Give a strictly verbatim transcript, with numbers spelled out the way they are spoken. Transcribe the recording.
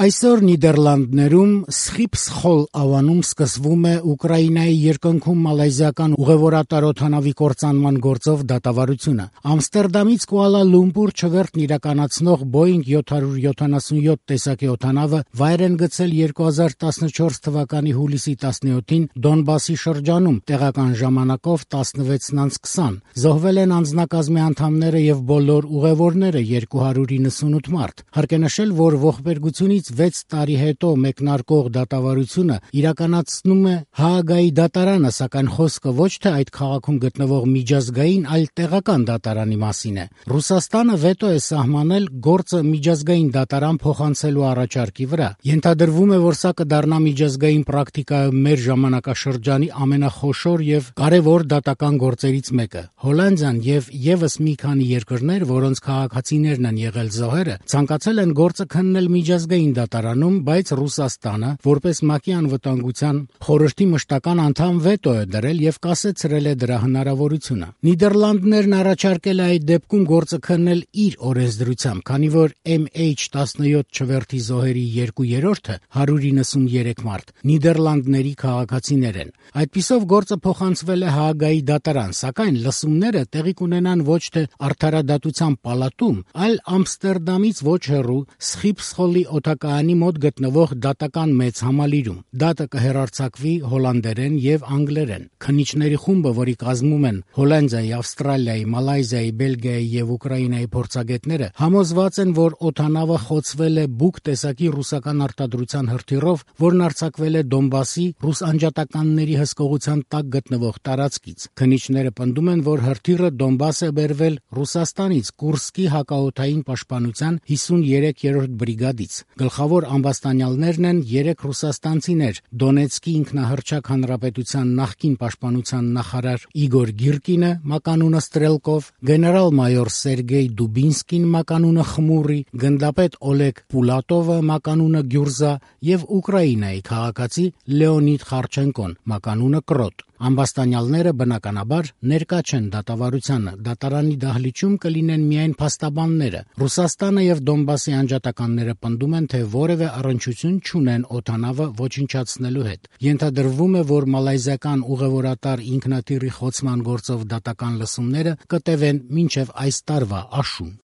Այսօր Նիդերլանդներում Սխիփսխոլ ավանում սկսվում է Ուկրաինայի երկնքում մալայզիական ուղևորատար օդանավի կործանման գործով դատավարությունը։ Ամստերդամից Կուալա Լումպուր չվերթն իրականացնող Boeing seven seventy-seven տեսակի օդանավը վայր են գցել two thousand fourteen թվականի հուլիսի տասնյոթին Դոնբասի շրջանում տեղական ժամանակով տասնվեց twenty. Զոհվել են անձնակազմի անդամները եւ բոլոր ուղևորները two hundred ninety-eight մարդ։ Հարկ է նշել, որ ողբերգությունից վեց տարի հետո մեկնարկող դատավարությունը իրականացնում է Հաագայի դատարանը, սակայն խոսքը ոչ թե այդ քաղաքում գտնվող միջազգային, այլ տեղական դատարանի մասին է։ Ռուսաստանը վետո է սահմանել գործը միջազգային դատարան փոխանցելու առաջարկի վրա։ Ենթադրվում է, որ սա կդառնա միջազգային պրակտիկայում մեր ժամանակաշրջանի ամենախոշոր եւ կարեւոր դատական գործերից մեկը։ Հոլանդիան եւ եւս մի քանի երկրներ, որոնց քաղաքացիներն են եղել զոհերը, ցանկացել են գործը քննել միջազգային դատարանում, բայց Ռուսաստանը, որպես ՄԱԿ-ի անվտանգության խորհրդի մշտական անդամ, վետո է դրել եւ կասեցրել է դրա հնարավորությունը։ Նիդերլանդներն առաջարկել է այդ դեպքում գործը քննել իր օրենսդրությամբ, քանի որ M H seventeen չվերթի զոհերի երկու երրորդը one hundred ninety-three մարդ Նիդերլանդների քաղաքացիներ են։ Այդպիսով գործը փոխանցվել է Հաագայի դատարան, սակայն լսումները տեղի կունենան ոչ թե արդարադատության պալատում, այլ Ամստերդամից ոչ հեռու Սխիփսխոլի օդակայանի մոտ գտնվող դատական մեծ համալիրում։ Դատը կհեռարձակվի հոլանդերեն եւ անգլերեն։ Քննիչների խումբը, որի կազմում են Հոլանդիայի, Ավստրալիայի, Մալայզիայի, Բելգիայի եւ Ուկրաինայի փորձագետները, համոզված են, որ օդանավը խոցվել է Բուկ տեսակի ռուսական արտադրության հրթիռով, որն արձակվել է Դոնբասի ռուս անջատականների հսկողության տակ գտնվող տարածքից։ Քննիչները պնդում են, որ հրթիռը Դոնբաս է բերվել Ռուսաստանից Կուրսկի հակաօդային պաշտպանության fifty-third բրիգադից։ Գլխավոր ամբաստանյալներն են երեք ռուսաստանցիներ՝ Դոնեցկի ինքնահռչակ հանրապետության նախկին պաշտպանության նախարար Իգոր Գիրկինը, մականունը Ստրելկով, գեներալ-մայոր Սերգեյ Դուբինսկին, մականունը Խմուրի, գնդապետ Օլեգ Պուլատովը, մականունը Գյուրզա եւ Ուկրաինայի քաղաքացի Լեոնիդ Խարչենկոն, մականունը Կրոտ։ Ամբաստանյալները բնականաբար ներկա չեն դատավարությանը։ Դատարանի դահլիճում կլինեն միայն փաստաբանները։ Ռուսաստանը եւ Դոնբասի անջատականները պնդում են, թե որևէ առնչություն չունեն օդանավը ոչնչացնելու հետ։ Ենթադրվում է, որ մալայզիական ուղևորատար ինքնաթիռի խոցման գործով դատական լսումները կտևեն մինչև այս տարվա աշուն։